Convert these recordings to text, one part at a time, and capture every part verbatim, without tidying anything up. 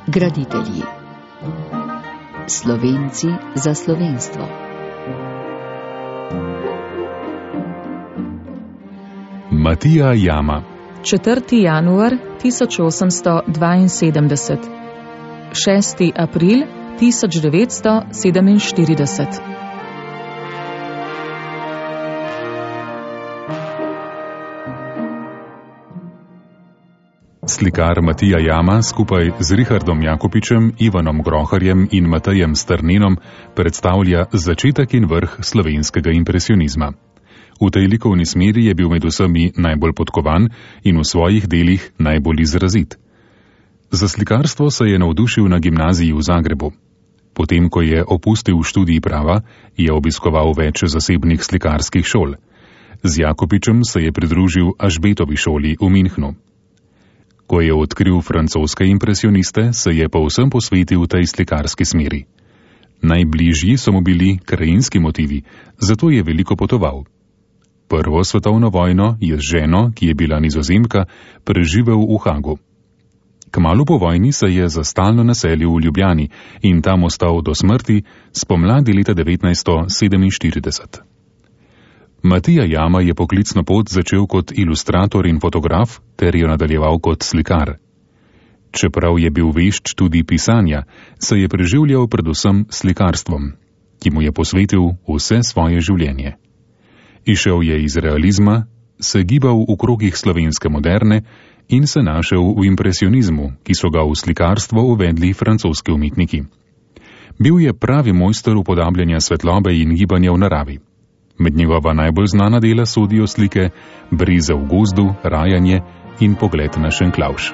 Graditelji. Slovenci za slovenstvo. Matija Jama. četrti januar tisoč osemsto dvainsedemdeset, šesti april tisoč devetsto sedeminštirideset. Slikar Matija Jama skupaj z Richardom Jakopičem, Ivanom Groharjem in Matejem Strnenom predstavlja začetek in vrh slovenskega impresionizma. V tej likovni smeri je bil med vsemi najbolj podkovan in v svojih delih najbolj izrazit. Za slikarstvo se je navdušil na gimnaziji v Zagrebu. Potem, ko je opustil študij prava, je obiskoval več zasebnih slikarskih šol. Z Jakopičem se je pridružil Ažbetovi šoli v Minhnu. Ko je odkril francoske impresioniste, se je povsem posvetil tej slikarski smeri. Najbližji so mu bili krajinski motivi, zato je veliko potoval. Prvo svetovno vojno je z ženo, ki je bila Nizozemka, preživel v Hagu. Kmalu po vojni se je za stalno naselil v Ljubljani in tam ostal do smrti spomladi leta devetnajststo sedeminštirideset. Matija Jama je poklicno pot začel kot ilustrator in fotograf ter jo nadaljeval kot slikar. Čeprav je bil vešč tudi pisanja, se je preživljal predvsem slikarstvom, ki mu je posvetil vse svoje življenje. Išel je iz realizma, se gibal v krogih slovenske moderne in se našel v impresionizmu, ki so ga v slikarstvo uvedli francoski umetniki. Bil je pravi mojster upodabljanja svetlobe in gibanja v naravi. Med njegova najbolj znana dela sodijo slike Brize v gozdu, Rajanje in Pogled na Šenklavš.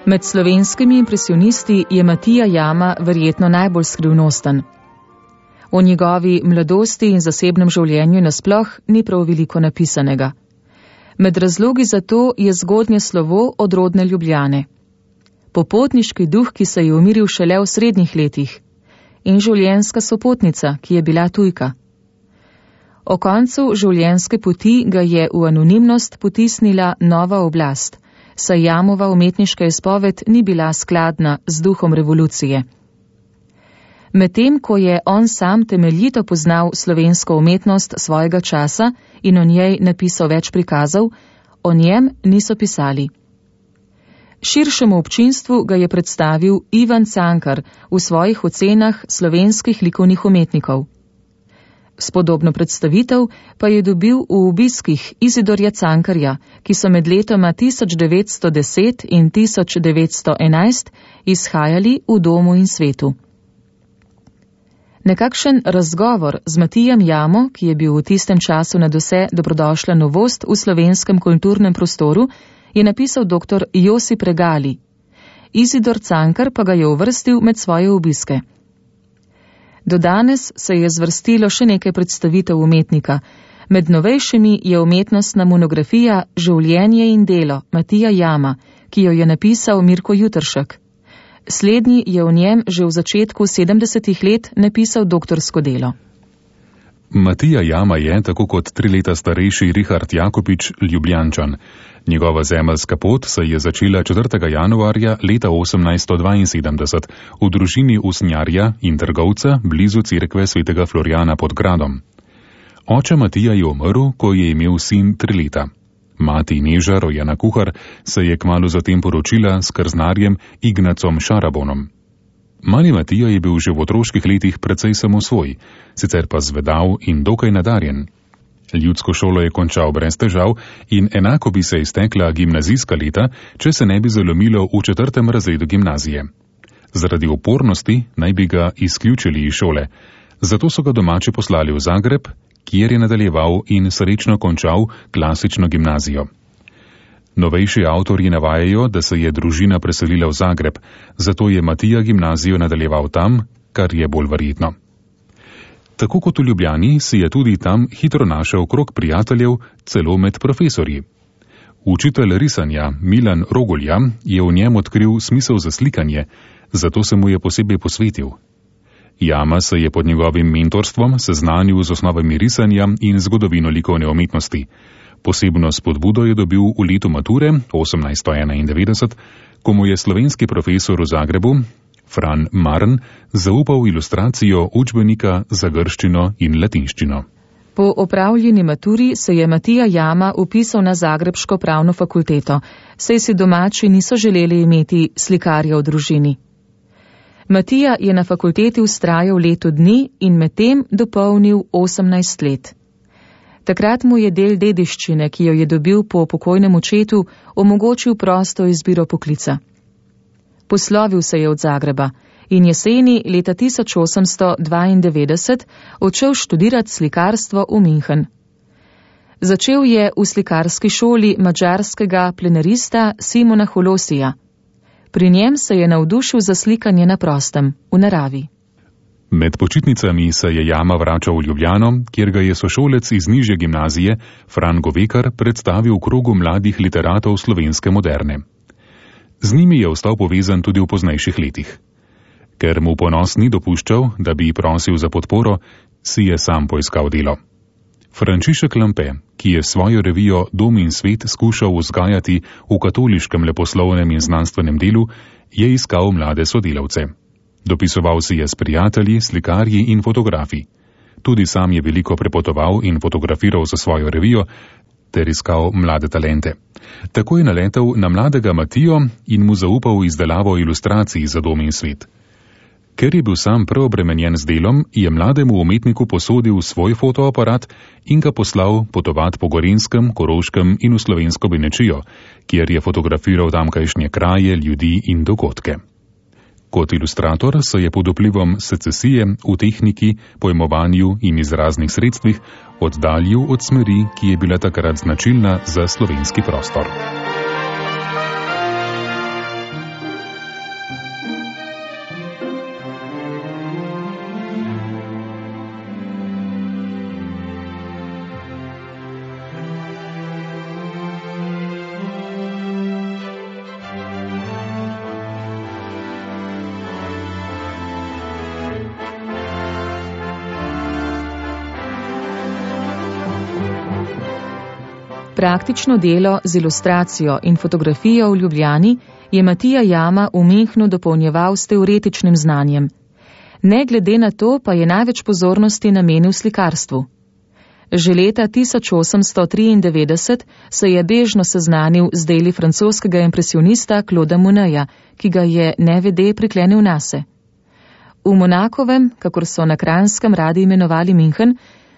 Med slovenskimi impresionisti je Matija Jama verjetno najbolj skrivnosten. O njegovi mladosti in zasebnem življenju nasploh ni prav veliko napisanega. Med razlogi za to je zgodnje slovo od rodne Ljubljane, popotniški duh, ki se je umiril šele v srednjih letih, in življenjska sopotnica, ki je bila tujka. O koncu življenjske poti ga je v anonimnost potisnila nova oblast, saj Jamova umetniška izpoved ni bila skladna z duhom revolucije. Medtem, ko je on sam temeljito poznal slovensko umetnost svojega časa in o njej napisal več prikazov, o njem niso pisali. Širšemu občinstvu ga je predstavil Ivan Cankar v svojih ocenah slovenskih likovnih umetnikov. Spodobno predstavitev pa je dobil v obiskih Izidorja Cankarja, ki so med letoma tisoč devetsto deset in tisoč devetsto enajst izhajali v Domu in svetu. Nekakšen razgovor z Matijem Jamo, ki je bil v tistem času nadvse dobrodošla novost v slovenskem kulturnem prostoru, je napisal doktor Josip Regali. Izidor Cankar pa ga je uvrstil med svoje obiske. Do danes se je zvrstilo še nekaj predstavitev umetnika. Med novejšimi je umetnostna monografija Življenje in delo Matija Jama, ki jo je napisal Mirko Jutršek. Slednji je v njem že v začetku sedemdesetih let napisal doktorsko delo. Matija Jama je, tako kot tri leta starejši Richard Jakopič, Ljubljančan. Njegova zemeljska pot se je začela četrtega januarja leta osemnajststo dvainsedemdeset v družini usnjarja in trgovca blizu cerkve svetega Florjana pod gradom. Oče Matija je umrl, ko je imel sin tri leta. Mati Neža, rojena kuhar, se je kmalu zatem poročila s krznarjem Ignacom Šarabonom. Mali Matija je bil že v otroških letih precej samosvoj, sicer pa zvedav in dokaj nadarjen. Ljudsko šolo je končal brez težav in enako bi se iztekla gimnazijska leta, če se ne bi zalomilo v četrtem razredu gimnazije. Zaradi upornosti naj bi ga izključili iz šole, zato so ga domači poslali v Zagreb, kjer je nadaljeval in srečno končal klasično gimnazijo. Novejši avtorji navajajo, da se je družina preselila v Zagreb, zato je Matija gimnazijo nadaljeval tam, kar je bolj verjetno. Tako kot v Ljubljani si je tudi tam hitro našel krog prijateljev, celo med profesorji. Učitelj risanja Milan Rogulja je v njem odkril smisel za slikanje, zato se mu je posebej posvetil. Jama se je pod njegovim mentorstvom seznanil z osnovami risanja in zgodovino likovne umetnosti. Posebno spodbudo je dobil v letu mature osemnajststo enaindevetdeset, ko mu je slovenski profesor v Zagrebu, Fran Marn, zaupal ilustracijo učbenika za grščino in latinščino. Po opravljeni maturi se je Matija Jama upisal na zagrebško pravno fakulteto, saj si domači niso želeli imeti slikarja v družini. Matija je na fakulteti vztrajal leto dni in medtem dopolnil osemnajst let. Takrat mu je del dediščine, ki jo je dobil po pokojnem očetu, omogočil prosto izbiro poklica. Poslovil se je od Zagreba in jeseni leta tisoč osemsto dvaindevetdeset odšel študirati slikarstvo v München. Začel je v slikarski šoli madžarskega plenarista Simona Holosija. Pri njem se je navdušil za slikanje na prostem, v naravi. Med počitnicami se je Jama vračal v Ljubljano, kjer ga je sošolec iz nižje gimnazije Fran Govekar predstavil v krogu mladih literatov slovenske moderne. Z njimi je ostal povezan tudi v poznejših letih. Ker mu ponos ni dopuščal, da bi prosil za podporo, si je sam poiskal delo. Frančišek Lampe, ki je svojo revijo Dom in svet skušal vzgajati v katoliškem leposlovnem in znanstvenem delu, je iskal mlade sodelavce. Dopisoval si je s prijatelji, slikarji in fotografi. Tudi sam je veliko prepotoval in fotografiral za svojo revijo ter iskal mlade talente. Tako je naletel na mladega Matijo in mu zaupal izdelavo ilustracij za Dom in svet. Ker je bil sam preobremenjen z delom, je mlademu umetniku posodil svoj fotoaparat in ga poslal potovat po Gorenjskem, Koroškem in v slovensko Benečijo, kjer je fotografiral tamkajšnje kraje, ljudi in dogodke. Kot ilustrator se je pod vplivom secesije v tehniki, pojmovanju in izraznih sredstvih oddaljil od smeri, ki je bila takrat značilna za slovenski prostor. Praktično delo z ilustracijo in fotografijo v Ljubljani je Matija Jama v Münchnu dopolnjeval s teoretičnim znanjem. Ne glede na to pa je največ pozornosti namenil slikarstvu. Že leta tisoč osemsto triindevetdeset se je bežno seznanil z deli francoskega impresionista Clauda Moneja, ki ga je nevede priklenil nase. V Monakovem, kakor so na Kranjskem radi imenovali München,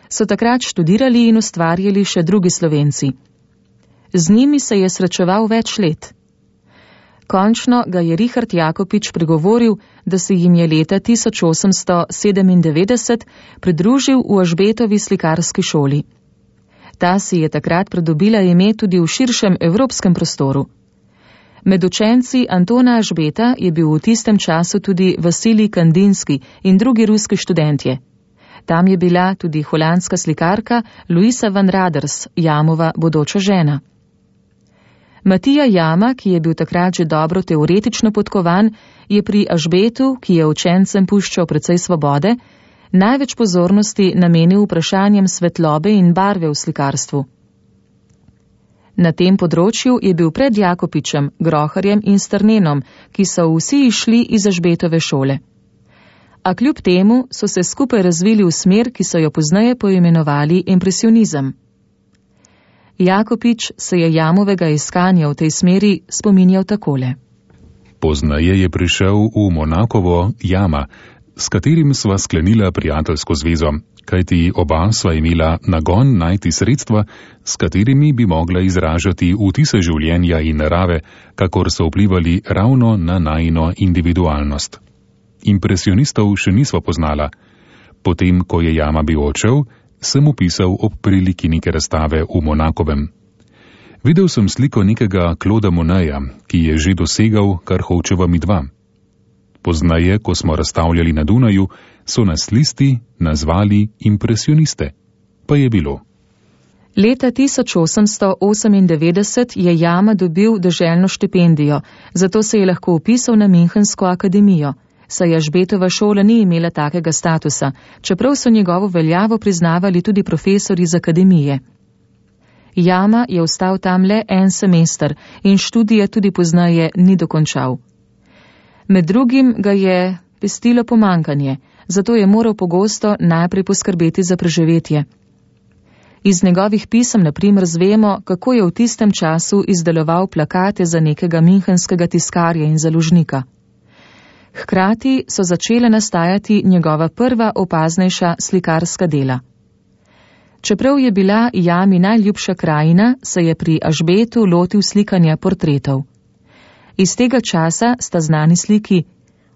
so takrat študirali in ustvarjali še drugi Slovenci. Z njimi se je srečeval več let. Končno ga je Richard Jakopič pregovoril, da se jim je leta tisoč osemsto sedemindevetdeset pridružil v Ažbetovi slikarski šoli. Ta si je takrat pridobila ime tudi v širšem evropskem prostoru. Med učenci Antona Ažbeta je bil v tistem času tudi Vasilij Kandinski in drugi ruski študentje. Tam je bila tudi holandska slikarka Louisa van Raders, Jamova bodoča žena. Matija Jama, ki je bil takrat že dobro teoretično podkovan, je pri Ažbetu, ki je učencem puščal precej svobode, največ pozornosti namenil vprašanjem svetlobe in barve v slikarstvu. Na tem področju je bil pred Jakopičem, Groharjem in Strnenom, ki so vsi išli iz Ažbetove šole. A kljub temu so se skupaj razvili v smer, ki so jo pozneje poimenovali impresionizem. Jakopič se je Jamovega iskanja v tej smeri spominjal takole. Pozneje je prišel v Monakovo Jama, s katerim sva sklenila prijateljsko zvezo, kajti oba sva imela nagon najti sredstva, s katerimi bi mogla izražati vtise življenja in narave, kakor so vplivali ravno na najino individualnost. Impresionistov še nisva poznala. Potem, ko je Jama bil odšel, sem upisal ob priliki neke razstave v Monakovem. Videl sem sliko nekega Clauda Moneja, ki je že dosegal, kar hočeva midva. Poznaje, ko smo razstavljali na Dunaju, so nas listi nazvali impresioniste. Pa je bilo. Leta tisoč osemsto osemindevetdeset je Jama dobil deželno štipendijo, zato se je lahko upisal na Münchensko akademijo. saj Ažbetova šola ni imela takega statusa, čeprav so njegovo veljavo priznavali tudi profesori z akademije. Jama je ostal tam le en semester in študije tudi pozneje ni dokončal. Med drugim ga je pestilo pomankanje, zato je moral pogosto najprej poskrbeti za preživetje. Iz njegovih pisem na primer zvemo, kako je v tistem času izdeloval plakate za nekega münchenskega tiskarja in založnika. Hkrati so začele nastajati njegova prva opaznejša slikarska dela. Čeprav je bila Jami najljubša krajina, se je pri Ažbetu lotil slikanja portretov. Iz tega časa sta znani sliki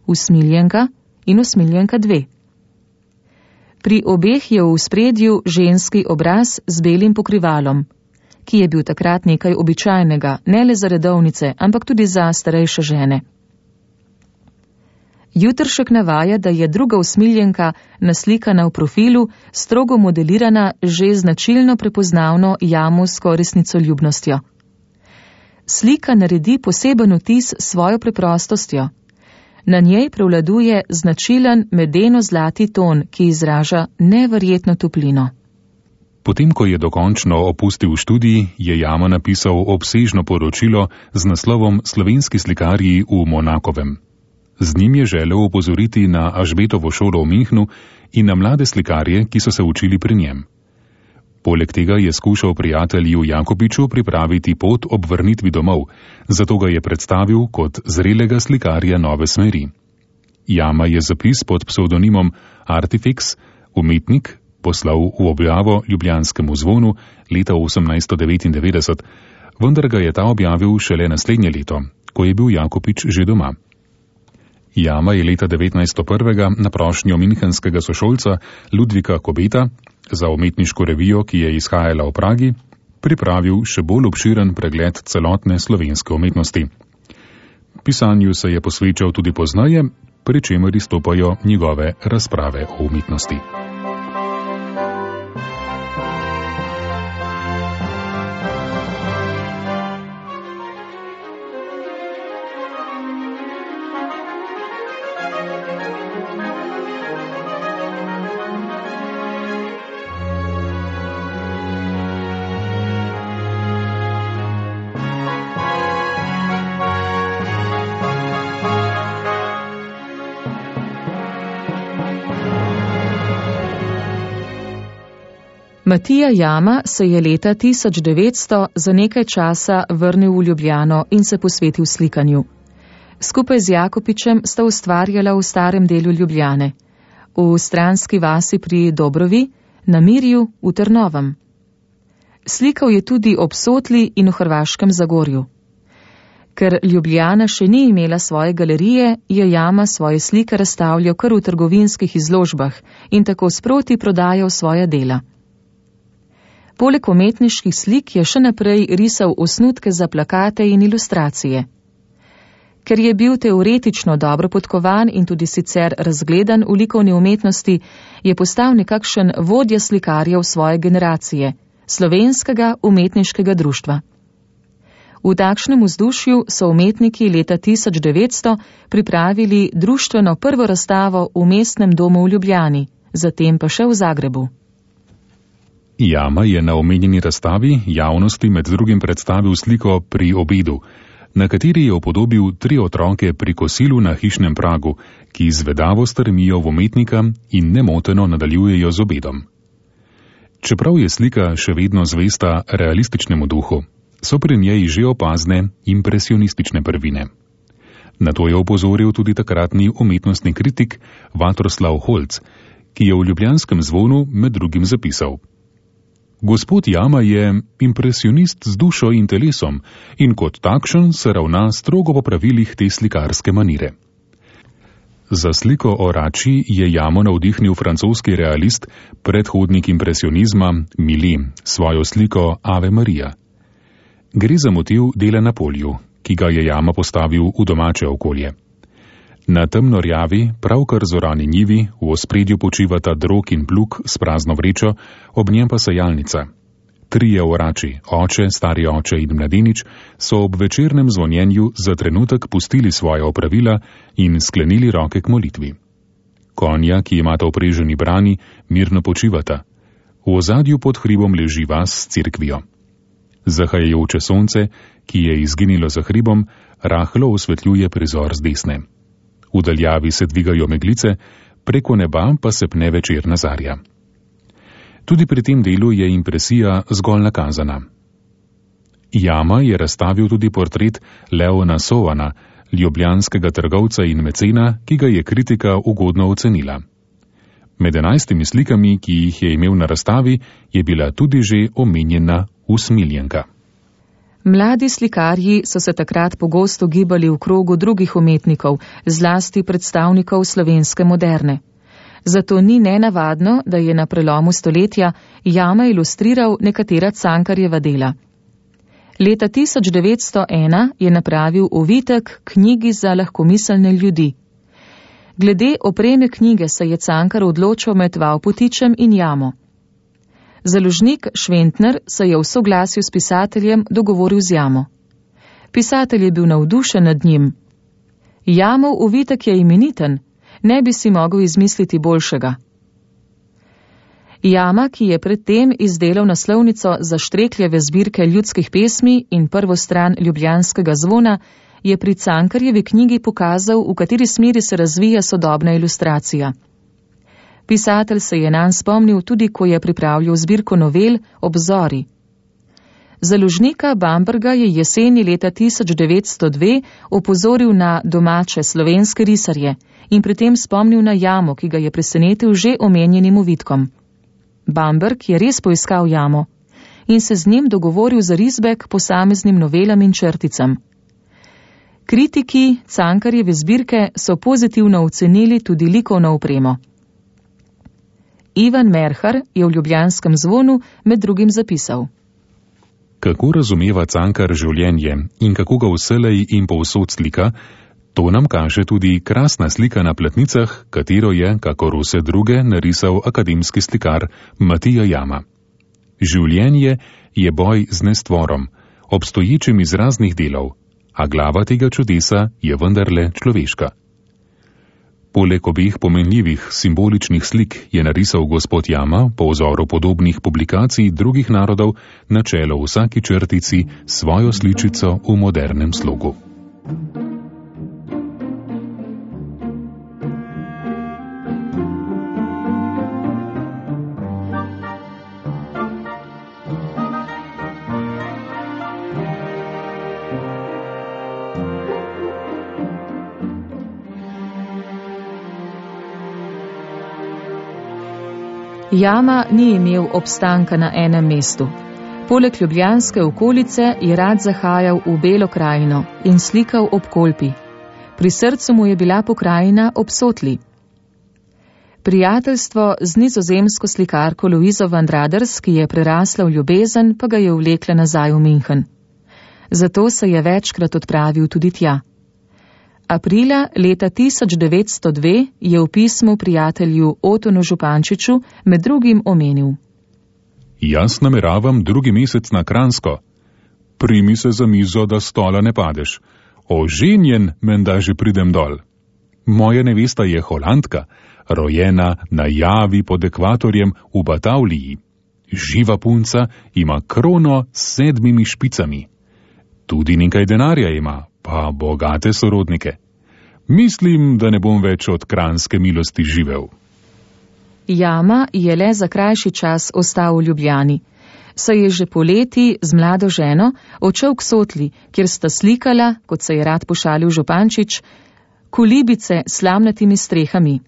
Usmiljenka in Usmiljenka dve. Pri obeh je v spredju ženski obraz z belim pokrivalom, ki je bil takrat nekaj običajnega, ne le za redovnice, ampak tudi za starejše žene. Jutršek navaja, da je druga Usmiljenka naslikana v profilu, strogo modelirana, že značilno prepoznavno jamovsko resnicoljubnostjo. Slika naredi poseben vtis s svojo preprostostjo. Na njej prevladuje značilen medeno-zlati ton, ki izraža neverjetno toplino. Potem, ko je dokončno opustil študij, je Jama napisal obsežno poročilo z naslovom Slovenski slikarji v Monakovem. Z njim je želel opozoriti na Ažbetovo šolo v Münchnu in na mlade slikarje, ki so se učili pri njem. Poleg tega je skušal prijatelju Jakopiču pripraviti pot ob vrnitvi domov, zato ga je predstavil kot zrelega slikarja nove smeri. Jama je zapis pod psevdonimom Artifex, umetnik, poslal v objavo Ljubljanskemu zvonu leta osemnajststo devetindevetdeset, vendar ga je ta objavil šele naslednje leto, ko je bil Jakopič že doma. Jama je leta devetnajststo prvega na prošnjo münchenskega sošolca Ludvika Kobeta za umetniško revijo, ki je izhajala v Pragi, pripravil še bolj obširen pregled celotne slovenske umetnosti. Pisanju se je posvečal tudi pozneje, pri čemer izstopajo njegove razprave o umetnosti. Matija Jama se je leta tisoč devetsto za nekaj časa vrnil v Ljubljano in se posvetil slikanju. Skupaj z Jakopičem sta ustvarjala v starem delu Ljubljane, v stranski vasi pri Dobrovi, na Mirju, v Trnovem. Slikal je tudi ob Sotli in v Hrvaškem Zagorju. Ker Ljubljana še ni imela svoje galerije, je Jama svoje slike razstavljal kar v trgovinskih izložbah in tako sproti prodajal svoja dela. Poleg umetniških slik je še naprej risal osnutke za plakate in ilustracije. Ker je bil teoretično dobro podkovan in tudi sicer razgledan v likovni umetnosti, je postal nekakšen vodja slikarjev svoje generacije, Slovenskega umetniškega društva. V takšnem vzdušju so umetniki leta tisoč devetsto pripravili društveno prvo razstavo v Mestnem domu v Ljubljani, zatem pa še v Zagrebu. Jama je na omenjeni razstavi javnosti med drugim predstavil sliko Pri obedu, na kateri je upodobil tri otroke pri kosilu na hišnem pragu, ki zvedavo strmijo v umetnika in nemoteno nadaljujejo z obedom. Čeprav je slika še vedno zvesta realističnemu duhu, so pri njej že opazne impresionistične prvine. Na to je opozoril tudi takratni umetnostni kritik Vatroslav Holc, ki je v Ljubljanskem zvonu med drugim zapisal: Gospod Jama je impresionist z dušo in telesom in kot takšen se ravna strogo po pravilih te slikarske manire. Za sliko o Rači je Jamo navdihnil francoski realist, predhodnik impresionizma Millet, svojo sliko Ave Maria. Gre za motiv dela na polju, ki ga je Jama postavil v domače okolje. Na temno rjavi, pravkar zorani njivi, v ospredju počivata drog in plug s prazno vrečo, ob njem pa sajalnica. Trije orači, oče, stari oče in mladenič, so ob večernem zvonjenju za trenutek pustili svoje opravila in sklenili roke k molitvi. Konja, ki imata opreženi brani, mirno počivata. V ozadju pod hribom leži vas s cerkvijo. Zahajajoče sonce, ki je izginilo za hribom, rahlo osvetljuje prizor z desne. V daljavi se dvigajo meglice, preko neba pa se pne večerna zarja. Tudi pri tem delu je impresija zgolj nakazana. Jama je razstavil tudi portret Leona Sovana, ljubljanskega trgovca in mecena, ki ga je kritika ugodno ocenila. Med enajstimi slikami, ki jih je imel na razstavi, je bila tudi že omenjena Usmiljenka. Mladi slikarji so se takrat pogosto gibali v krogu drugih umetnikov, zlasti predstavnikov slovenske moderne. Zato ni nenavadno, da je na prelomu stoletja Jama ilustriral nekatera Cankarjeva dela. Leta tisoč devetsto ena je napravil ovitek knjigi za lahkomiselne ljudi. Glede opreme knjige se je Cankar odločil med Vavpotičem in Jamo. Založnik Šventner se je v soglasju s pisateljem dogovoril z Jamo. Pisatelj je bil navdušen nad njim. Jamov ovitek je imeniten, ne bi si mogel izmisliti boljšega. Jama, ki je predtem izdelal naslovnico za Štrekljeve zbirke ljudskih pesmi in prvo stran Ljubljanskega zvona, je pri Cankarjevi knjigi pokazal, v kateri smeri se razvija sodobna ilustracija. Pisatelj se je nanj spomnil tudi, ko je pripravljal zbirko novel Obzori. Založnika Bamberga je jeseni leta tisoč devetsto dve opozoril na domače slovenske risarje in pri tem spomnil na Jamo, ki ga je presenetil že omenjenim ovitkom. Bamberg je res poiskal Jamo in se z njim dogovoril za risbe k posameznim novelam in črticam. Kritiki Cankarjeve zbirke so pozitivno ocenili tudi likovno opremo. Ivan Merhar je v Ljubljanskem zvonu med drugim zapisal: Kako razumeva Cankar življenje in kako ga vselej in povsod slika, to nam kaže tudi krasna slika na platnicah, katero je, kakor vse druge, narisal akademski slikar Matija Jama. Življenje je boj z nestvorom, obstoječim iz raznih delov, a glava tega čudesa je vendarle človeška. Poleg obeh pomenljivih simboličnih slik je narisal gospod Jama po vzoru podobnih publikacij drugih narodov na čelo vsaki črtici svojo sličico v modernem slogu. Jama ni imel obstanka na enem mestu. Poleg ljubljanske okolice je rad zahajal v Belo krajino in slikal ob Kolpi. Pri srcu mu je bila pokrajina ob Sotli. Prijateljstvo z nizozemsko slikarko Luizo van Raders, ki je prerasla v ljubezen, pa ga je vlekla nazaj v München. Zato se je večkrat odpravil tudi tja. Aprila leta tisoč devetsto dve je v pismu prijatelju Otonu Župančiču med drugim omenil: Jaz nameravam drugi mesec na Kranjsko. Primi se za mizo, da stola ne padeš. Oženjen menda že pridem dol. Moja nevesta je Holandka, rojena na Javi pod ekvatorjem v Batavliji. Živa punca, ima krono s sedmimi špicami. Tudi nekaj denarja ima, pa bogate sorodnike. Mislim, da ne bom več od kranjske milosti živel. Jama je le za krajši čas ostal v Ljubljani. Saj je že poleti z mlado ženo odšel k Sotli, kjer sta slikala, kot se je rad pošalil Župančič, kolibice s slamnatimi strehami.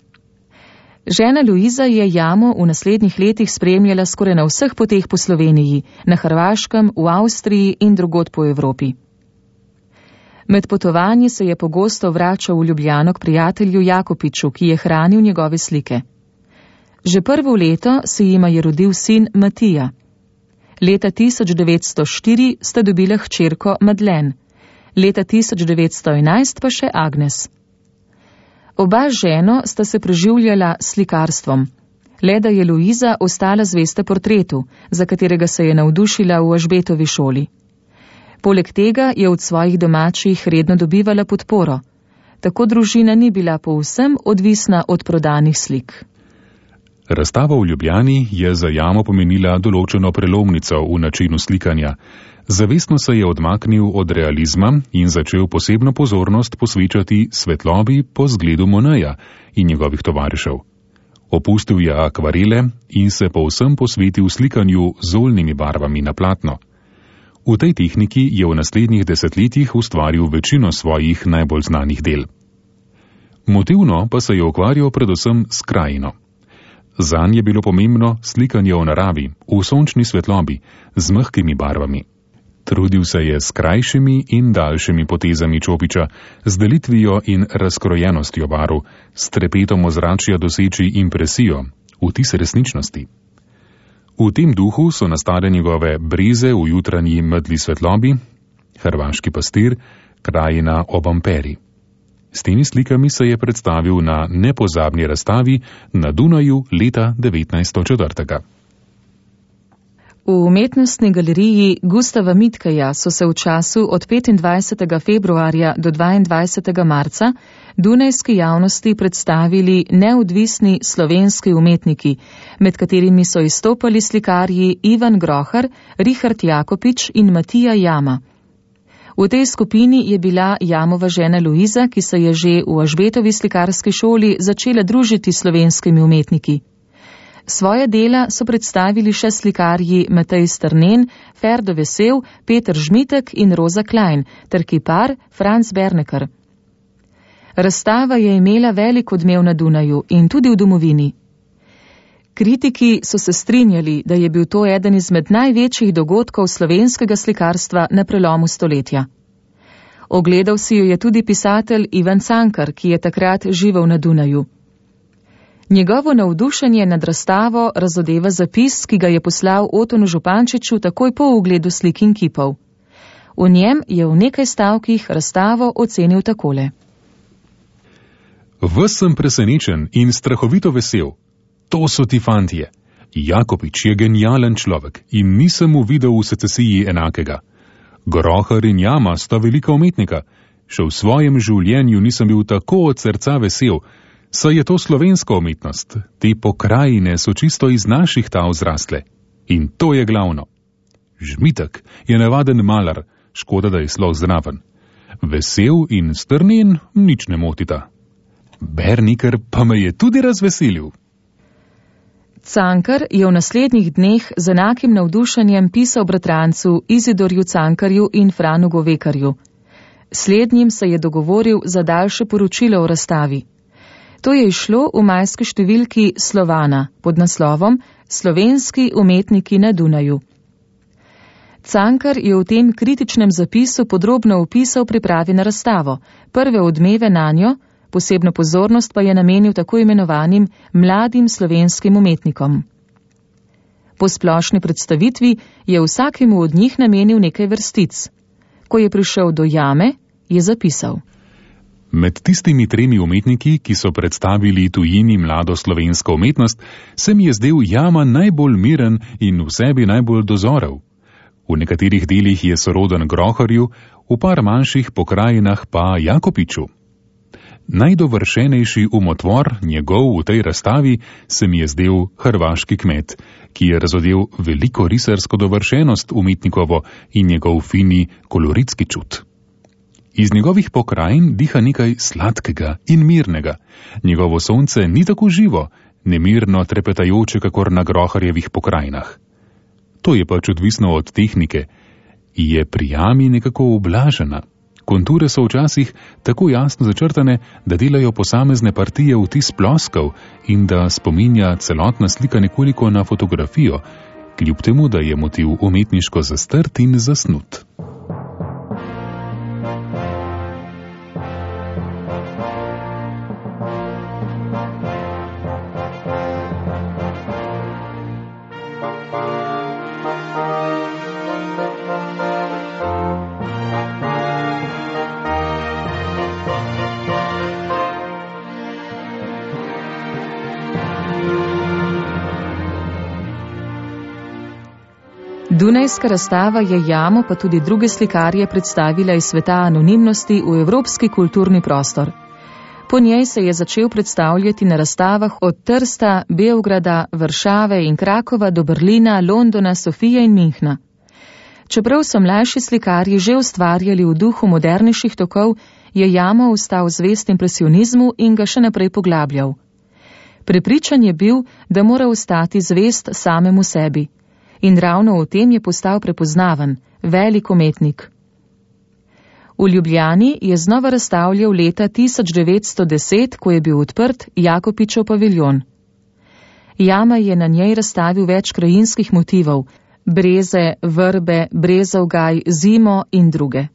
Žena Luiza je Jamo v naslednjih letih spremljala skoraj na vseh poteh po Sloveniji, na Hrvaškem, v Avstriji in drugod po Evropi. Med potovanji se je pogosto vračal v Ljubljano k prijatelju Jakopiču, ki je hranil njegove slike. Že prvo leto se jima je rodil sin Matija. Leta tisoč devetsto štiri sta dobila hčerko Madlen, leta tisoč devetsto enajst pa še Agnes. Oba z ženo sta se preživljala s slikarstvom. le da je Luiza ostala zvesta portretu, za katerega se je navdušila v Ažbetovi šoli. Poleg tega je od svojih domačih redno dobivala podporo. Tako družina ni bila povsem odvisna od prodanih slik. Razstava v Ljubljani je za Jamo pomenila določeno prelomnico v načinu slikanja. Zavestno se je odmaknil od realizma in začel posebno pozornost posvečati svetlobi po zgledu Moneja in njegovih tovarišev. Opustil je akvarele in se povsem posvetil slikanju z oljnimi barvami na platno. V tej tehniki je v naslednjih desetletjih ustvaril večino svojih najbolj znanih del. Motivno pa se je ukvarjal predvsem s krajino. Zanj je bilo pomembno slikanje v naravi, v sončni svetlobi, z mehkimi barvami. Trudil se je s krajšimi in daljšimi potezami čopiča, z delitvijo in razkrojenostjo barv, s trepetom ozračja doseči impresijo, vtis resničnosti. V tem duhu so nastale njegove breze v jutranji medli svetlobi, Hrvaški pastir, krajina ob Amperi. S temi slikami se je predstavil na nepozabni razstavi na Dunaju leta devetnajststo četiri. V umetnostni galeriji Gustava Mitkeja so se v času od petindvajsetega februarja do dvaindvajsetega marca dunajski javnosti predstavili neodvisni slovenski umetniki, med katerimi so izstopali slikarji Ivan Grohar, Richard Jakopič in Matija Jama. V tej skupini je bila Jamova žena Luiza, ki se je že v Ažbetovi slikarski šoli začela družiti s slovenskimi umetniki. Svoje dela so predstavili še slikarji Matej Strnen, Ferdo Vesel, Peter Žmitek in Roza Klein ter kipar Franz Berneker. Razstava je imela velik odmev na Dunaju in tudi v domovini. Kritiki so se strinjali, da je bil to eden izmed največjih dogodkov slovenskega slikarstva na prelomu stoletja. Ogledal si jo je tudi pisatelj Ivan Cankar, ki je takrat živel na Dunaju. Njegovo navdušenje nad razstavo razodeva zapis, ki ga je poslal Otonu Župančiču takoj po ogledu slik in kipov. V njem je v nekaj stavkih razstavo ocenil takole. Ves sem presenečen in strahovito vesel. To so ti fantje. Jakopič je genijalen človek in nisem mu videl v secesiji enakega. Grohar in Jama sta velika umetnika. Še v svojem življenju nisem bil tako od srca vesel, saj je to slovenska umetnost. Te pokrajine so čisto iz naših tav zrastle. In to je glavno. Žmitek je navaden malar, škoda, da je sploh zraven. Vesel in Strnen nič ne motita. Berneker pa me je tudi razveselil. Cankar je v naslednjih dneh z enakim navdušenjem pisal bratrancu Izidorju Cankarju in Franu Govekarju. Slednjim se je dogovoril za daljše poročilo o razstavi. To je išlo v majski številki Slovana pod naslovom Slovenski umetniki na Dunaju. Cankar je v tem kritičnem zapisu podrobno opisal pripravi na razstavo, prve odmeve nanjo, posebno pozornost pa je namenil tako imenovanim mladim slovenskim umetnikom. Po splošni predstavitvi je vsakemu od njih namenil nekaj vrstic. Ko je prišel do Jame, je zapisal. Med tistimi tremi umetniki, ki so predstavili tujini mlado slovensko umetnost, se mi je zdel Jama najbolj miren in v sebi najbolj dozorev. V nekaterih delih je soroden Groharju, v par manjših pokrajinah pa Jakopiču. Najdovršenejši umotvor njegov v tej razstavi se mi je zdel hrvaški kmet, ki je razodel veliko risarsko dovršenost umetnikovo in njegov fini koloritski čut. Iz njegovih pokrajin diha nekaj sladkega in mirnega. Njegovo sonce ni tako živo, nemirno trepetajoče kakor na Groharjevih pokrajinah. To je pač odvisno od tehnike. Je pri Jami nekako ublažena. Konture so včasih tako jasno začrtane, da delajo posamezne partije vtis ploskav in da spominja celotna slika nekoliko na fotografijo, kljub temu, da je motiv umetniško zastrt in zasnut. Dunajska razstava je Jamo pa tudi druge slikarje predstavila iz sveta anonimnosti v evropski kulturni prostor. Po njej se je začel predstavljati na razstavah od Trsta, Beograda, Varšave in Krakova do Berlina, Londona, Sofije in Minhna. Čeprav so mlajši slikarji že ustvarjali v duhu modernejših tokov, je Jamo ostal zvest impresionizmu in ga še naprej poglabljal. Prepričan je bil, da mora ostati zvest samemu sebi. In ravno v tem je postal prepoznaven, velik umetnik. V Ljubljani je znova razstavljal leta tisoč devetsto deset, ko je bil odprt Jakopičev paviljon. Jama je na njej razstavil več krajinskih motivov, breze, vrbe, brezov gaj, zimo in druge.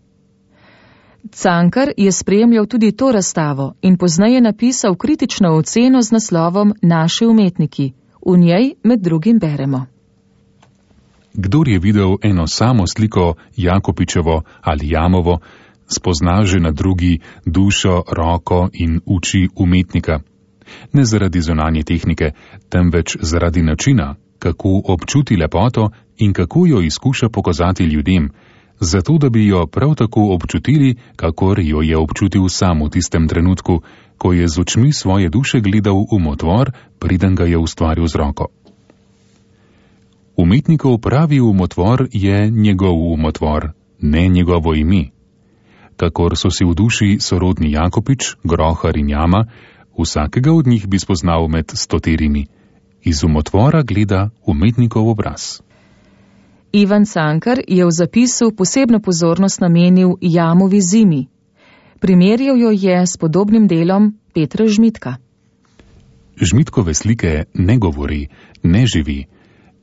Cankar je spremljal tudi to razstavo in pozneje napisal kritično oceno z naslovom Naši umetniki. V njej med drugim beremo. Kdor je videl eno samo sliko Jakopičevo ali Jamovo, spozna že na drugi dušo, roko in oči umetnika. Ne zaradi zunanje tehnike, temveč zaradi načina, kako občuti lepoto in kako jo izkuša pokazati ljudem, zato da bi jo prav tako občutili, kakor jo je občutil sam v tistem trenutku, ko je z očmi svoje duše gledal v umotvor, preden ga je ustvaril z roko. Umetnikov pravi umotvor je njegov umotvor, ne njegovo ime. Kakor so si v duši sorodni Jakopič, Grohar in Jama, vsakega od njih bi spoznal med stoterimi. Iz umotvora gleda umetnikov obraz. Ivan Cankar je v zapisu posebno pozornost namenil Jamovi zimi. Primerjal jo je s podobnim delom Petra Žmitka. Žmitkove slike ne govori, ne živi.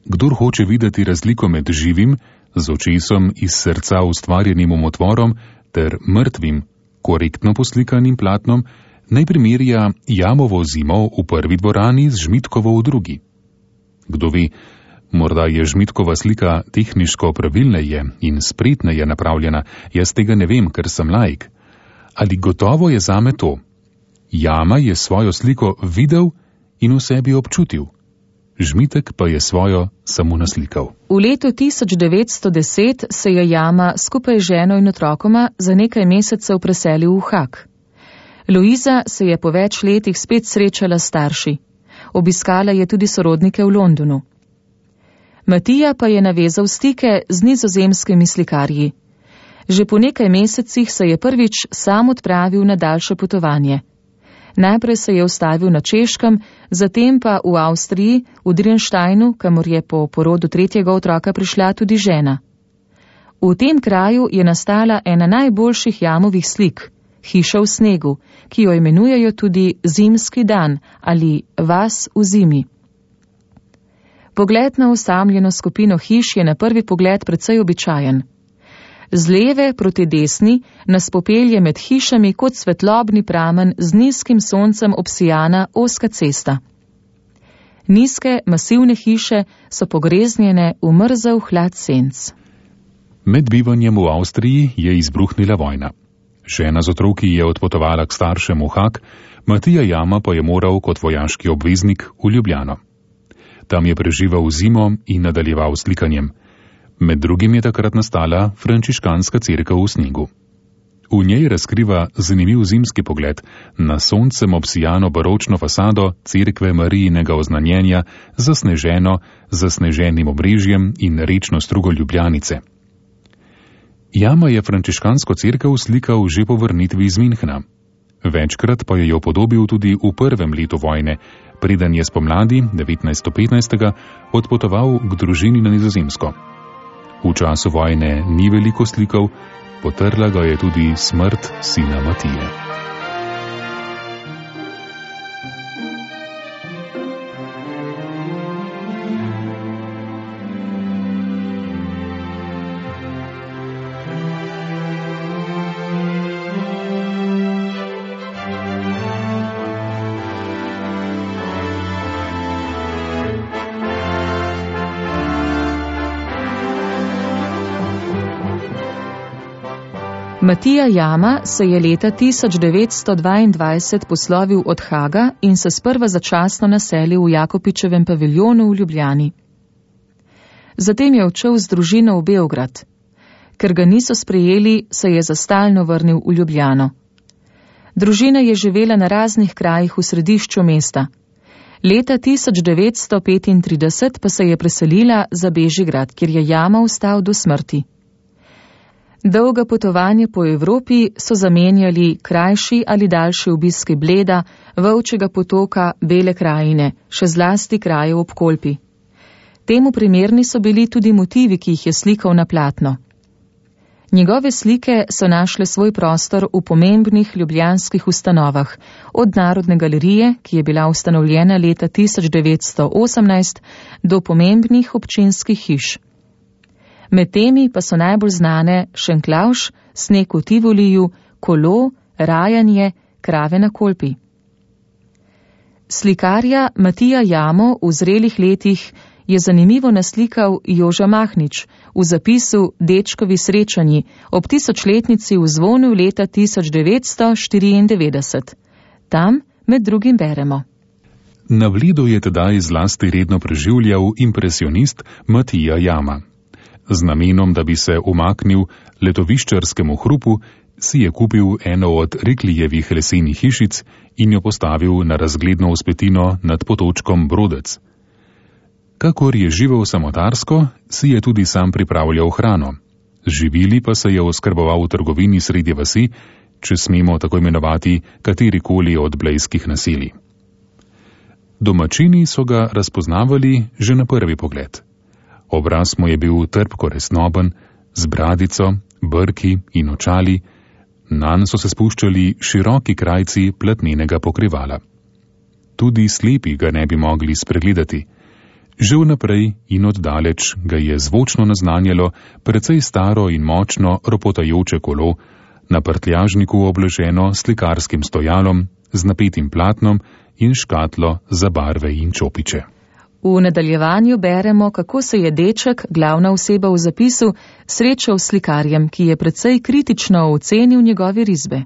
Kdor hoče videti razliko med živim, z očesom iz srca ustvarjenim umotvorom, ter mrtvim, korektno poslikanim platnom, naj primerja Jamovo zimo v prvi dvorani z Žmitkovo v drugi. Kdo ve, morda je Žmitkova slika tehniško pravilneje in spretneje napravljena, jaz tega ne vem, ker sem laik. Ali gotovo je zame to? Jama je svojo sliko videl in v sebi občutil. Žmitek pa je svojo samo naslikal. V letu tisoč devetsto deset se je Jama skupaj z ženo in otrokoma za nekaj mesecev preselil v Haag. Luiza se je po več letih spet srečala s starši. Obiskala je tudi sorodnike v Londonu. Matija pa je navezal stike z nizozemskimi slikarji. Že po nekaj mesecih se je prvič sam odpravil na daljše potovanje. Najprej se je ustavil na Češkem, zatem pa v Avstriji, v Drinsteinu, kamor je po porodu tretjega otroka prišla tudi žena. V tem kraju je nastala ena najboljših Jamovih slik, Hiša v snegu, ki jo imenujejo tudi Zimski dan ali Vas v zimi. Pogled na osamljeno skupino hiš je na prvi pogled precej običajen. Z leve proti desni nas popelje med hišami kot svetlobni pramen z nizkim soncem obsijana ozka cesta. Nizke, masivne hiše so pogreznjene v mrzel hlad senc. Med bivanjem v Avstriji je izbruhnila vojna. Žena z otroki je odpotovala k staršem v Haag, Matija Jama pa je moral kot vojaški obveznik v Ljubljano. Tam je preživel zimo in nadaljeval s slikanjem. Med drugim je takrat nastala frančiškanska cerkev v snegu. V njej razkriva zanimiv zimski pogled na soncem obsijano baročno fasado cerkve Marijinega oznanjenja, zasneženo, zasneženim obrežjem in rečno strugo Ljubljanice. Jama je frančiškansko cerkev slikal že po vrnitvi iz Minhna. Večkrat pa je jo podobil tudi v prvem letu vojne, preden je spomladi devetnajststo petnajst odpotoval k družini na Nizozemsko. V času vojne ni veliko slikal, potrla ga je tudi smrt sina Matije. Matija Jama se je leta tisoč devetsto dvaindvajset poslovil od Haaga in se sprva začasno naselil v Jakopičevem paviljonu v Ljubljani. Zatem je odšel z družino v Beograd. Ker ga niso sprejeli, se je za stalno vrnil v Ljubljano. Družina je živela na raznih krajih v središču mesta. Leta tisoč devetsto petintrideset pa se je preselila za Bežigrad, kjer je Jama ostal do smrti. Dolga potovanja po Evropi so zamenjali krajši ali daljši obiski Bleda, Volčjega potoka, Bele krajine, še zlasti krajev ob Kolpi. Temu primerni so bili tudi motivi, ki jih je slikal na platno. Njegove slike so našle svoj prostor v pomembnih ljubljanskih ustanovah, od Narodne galerije, ki je bila ustanovljena leta tisoč devetsto osemnajst, do pomembnih občinskih hiš. Med temi pa so najbolj znane Šenklauš, Sneg v Tivoliju, Kolo, Rajanje, Krave na Kolpi. Slikarja Matija Jamo v zrelih letih je zanimivo naslikal Joža Mahnič v zapisu Dečkovi srečanji ob tisočletnici v zvonu leta tisoč devetsto štiriindevetdeset. Tam med drugim beremo. Na Bledu je tedaj zlasti redno preživljal impresionist Matija Jama. Z namenom, da bi se umaknil letoviščarskemu hrupu, si je kupil eno od Riklijevih lesenih hišic in jo postavil na razgledno vzpetino nad potočkom Brodec. Kakor je živel samotarsko, si je tudi sam pripravljal hrano. Živili pa se je oskrboval v trgovini sredi vasi, če smemo tako imenovati katerikoli od blejskih naselij. Domačini so ga razpoznavali že na prvi pogled. Obraz mu je bil trpko resnoben, z bradico, brki in očali, nanj so se spuščali široki krajci platnenega pokrivala. Tudi slepi ga ne bi mogli spregledati. Že vnaprej in oddaleč ga je zvočno naznanjalo precej staro in močno ropotajoče kolo, na prtljažniku obloženo s slikarskim stojalom, z napetim platnom in škatlo za barve in čopiče. V nadaljevanju beremo, kako se je deček, glavna oseba v zapisu, srečal s slikarjem, ki je precej kritično ocenil njegove risbe.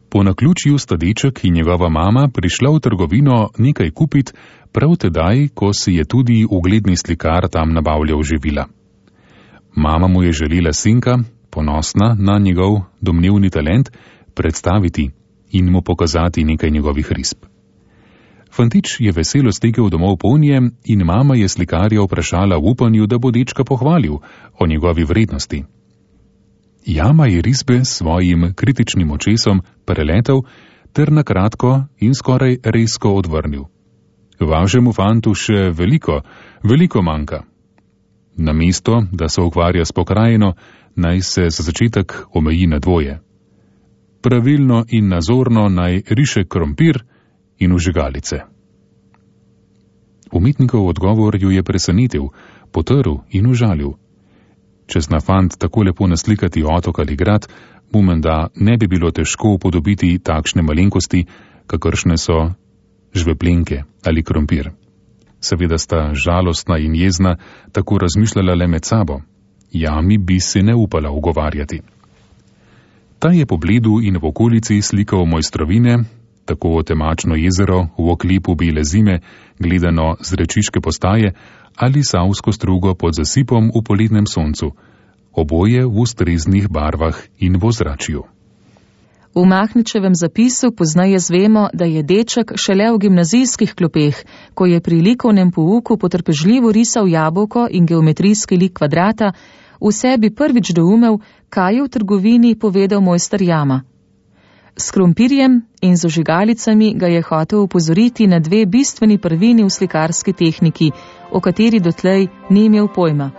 Po naključju sta deček in njegova mama prišla v trgovino nekaj kupit, prav tedaj, ko si je tudi ugledni slikar tam nabavljal živila. Mama mu je želela sinka, ponosna na njegov domnevni talent, predstaviti in mu pokazati nekaj njegovih risb. Fantič je veselo stekel domov polnje in mama je slikarja vprašala v upanju, da bo dečka pohvalil o njegovi vrednosti. Jama je risbe s svojim kritičnim očesom preletel ter na kratko in skoraj rezko odvrnil. Vašemu fantu še veliko, veliko manjka. Namesto, da se ukvarja s pokrajino, naj se za začetek omeji na dvoje. Pravilno in nazorno naj riše krompir in vžigalice. Umetnikov odgovor ju je presenetil, potrl in užalil. Če zna fant tako lepo naslikati otok ali grad, mu menda ne bi bilo težko upodobiti takšne malenkosti, kakršne so žveplenke ali krompir. Seveda sta žalostna in jezna tako razmišljala le med sabo. Jami bi se ne upala ugovarjati. Ta je po Bledu in v okolici slikal mojstrovine, tako temačno jezero v oklipu bele zime, gledano z rečiške postaje, ali savsko strugo pod zasipom v poletnem soncu, oboje v ustreznih barvah in v ozračju. V Mahničevem zapisu pozneje zvemo, da je deček šele v gimnazijskih klopeh, ko je pri likovnem pouku potrpežljivo risal jabolko in geometrijski lik kvadrata, v sebi prvič doumel, kaj je v trgovini povedal mojster Jama. S krompirjem in z ožigalicami ga je hotel upozoriti na dve bistveni prvini v slikarski tehniki, o kateri dotlej ni imel pojma: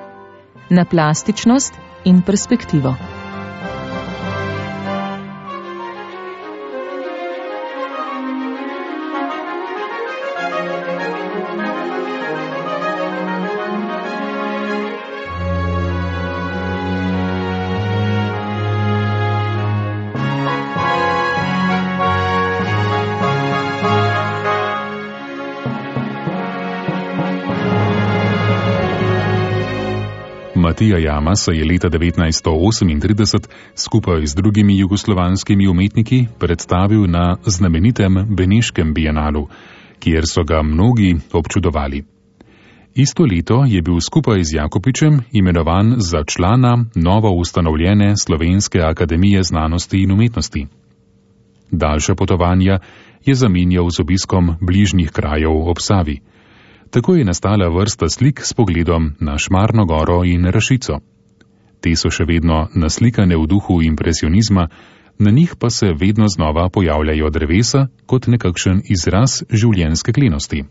na plastičnost in perspektivo. Matija Jama se je leta devetnajststo osemintrideset skupaj z drugimi jugoslovanskimi umetniki predstavil na znamenitem Beneškem bienalu, kjer so ga mnogi občudovali. Isto leto je bil skupaj z Jakopičem imenovan za člana novo ustanovljene Slovenske akademije znanosti in umetnosti. Daljša potovanja je zamenjal z obiskom bližnjih krajev ob Savi. Tako je nastala vrsta slik s pogledom na Šmarno goro in Rašico. Te so še vedno naslikane v duhu impresionizma, na njih pa se vedno znova pojavljajo drevesa kot nekakšen izraz življenjske klenosti.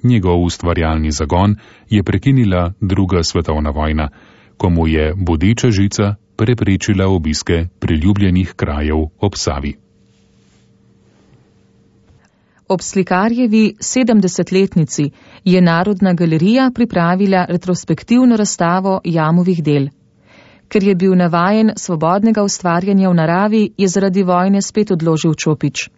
Njegov ustvarjalni zagon je prekinila druga svetovna vojna, ko mu je bodeča žica preprečila obiske priljubljenih krajev ob Savi. Ob slikarjevi sedemdesetletnici je Narodna galerija pripravila retrospektivno razstavo Jamovih del. Ker je bil navajen svobodnega ustvarjanja v naravi, je zaradi vojne spet odložil čopič.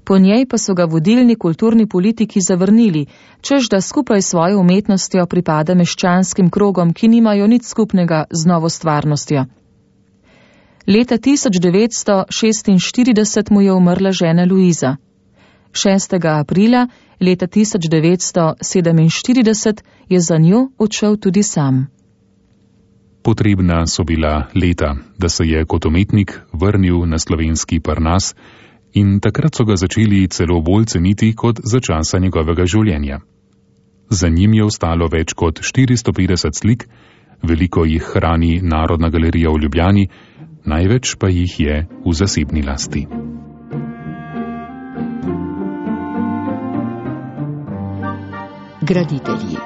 Po njej pa so ga vodilni kulturni politiki zavrnili, čež da skupaj s svojo umetnostjo pripada meščanskim krogom, ki nimajo nič skupnega z novo stvarnostjo. Leta tisoč devetsto šestinštirideset mu je umrla žena Luiza. šestega aprila leta tisoč devetsto sedeminštirideset je za njo odšel tudi sam. Potrebna so bila leta, da se je kot umetnik vrnil na slovenski Parnas, in takrat so ga začeli celo bolj ceniti kot za časa njegovega življenja. Za njim je ostalo več kot štiristo petdeset slik, veliko jih hrani Narodna galerija v Ljubljani, največ pa jih je v zasebni lasti. Graditelji.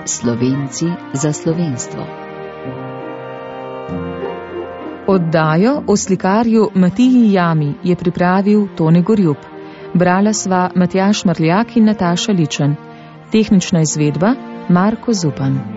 Slovenci za slovenstvo. Oddajo o slikarju Matiji Jami je pripravil Tone Gorjup. Brala sva Matjaž Marljak in Nataša Ličen. Tehnična izvedba Marko Zupan.